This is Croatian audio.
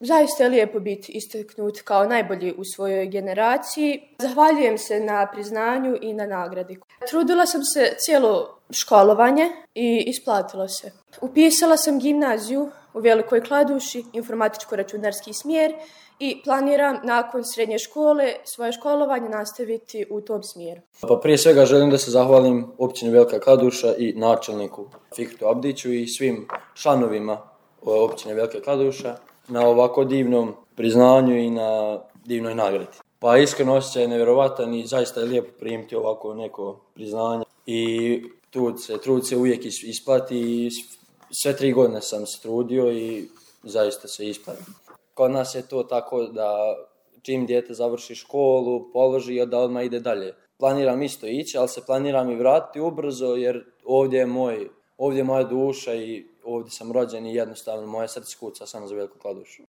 Zaista je lijepo biti istaknut kao najbolji u svojoj generaciji. Zahvaljujem se na priznanju i na nagradi. Trudila sam se cijelo školovanje i isplatilo se. Upisala sam gimnaziju u Velikoj Kladuši, informatičko-računarski smjer i planiram nakon srednje škole svoje školovanje nastaviti u tom smjeru. Pa prije svega želim da se zahvalim općini Velika Kladuša i načelniku Fikretu Abdiću i svim članovima općine Velika Kladuša na ovako divnom priznanju i na divnoj nagradi. Pa iskreno osjećaj je nevjerovatan i zaista je lijepo primiti ovako neko priznanje i trud se uvijek isplati i sve 3 godine sam se trudio i zaista se isplati. Kod nas je to tako da čim dijete završi školu, položi, da odmah ide dalje. Planiram isto ići, ali se planiram i vratiti ubrzo jer ovdje je moja duša i ovdje sam rođen i jednostavno moje srce kuca samo za Veliku Kladušu.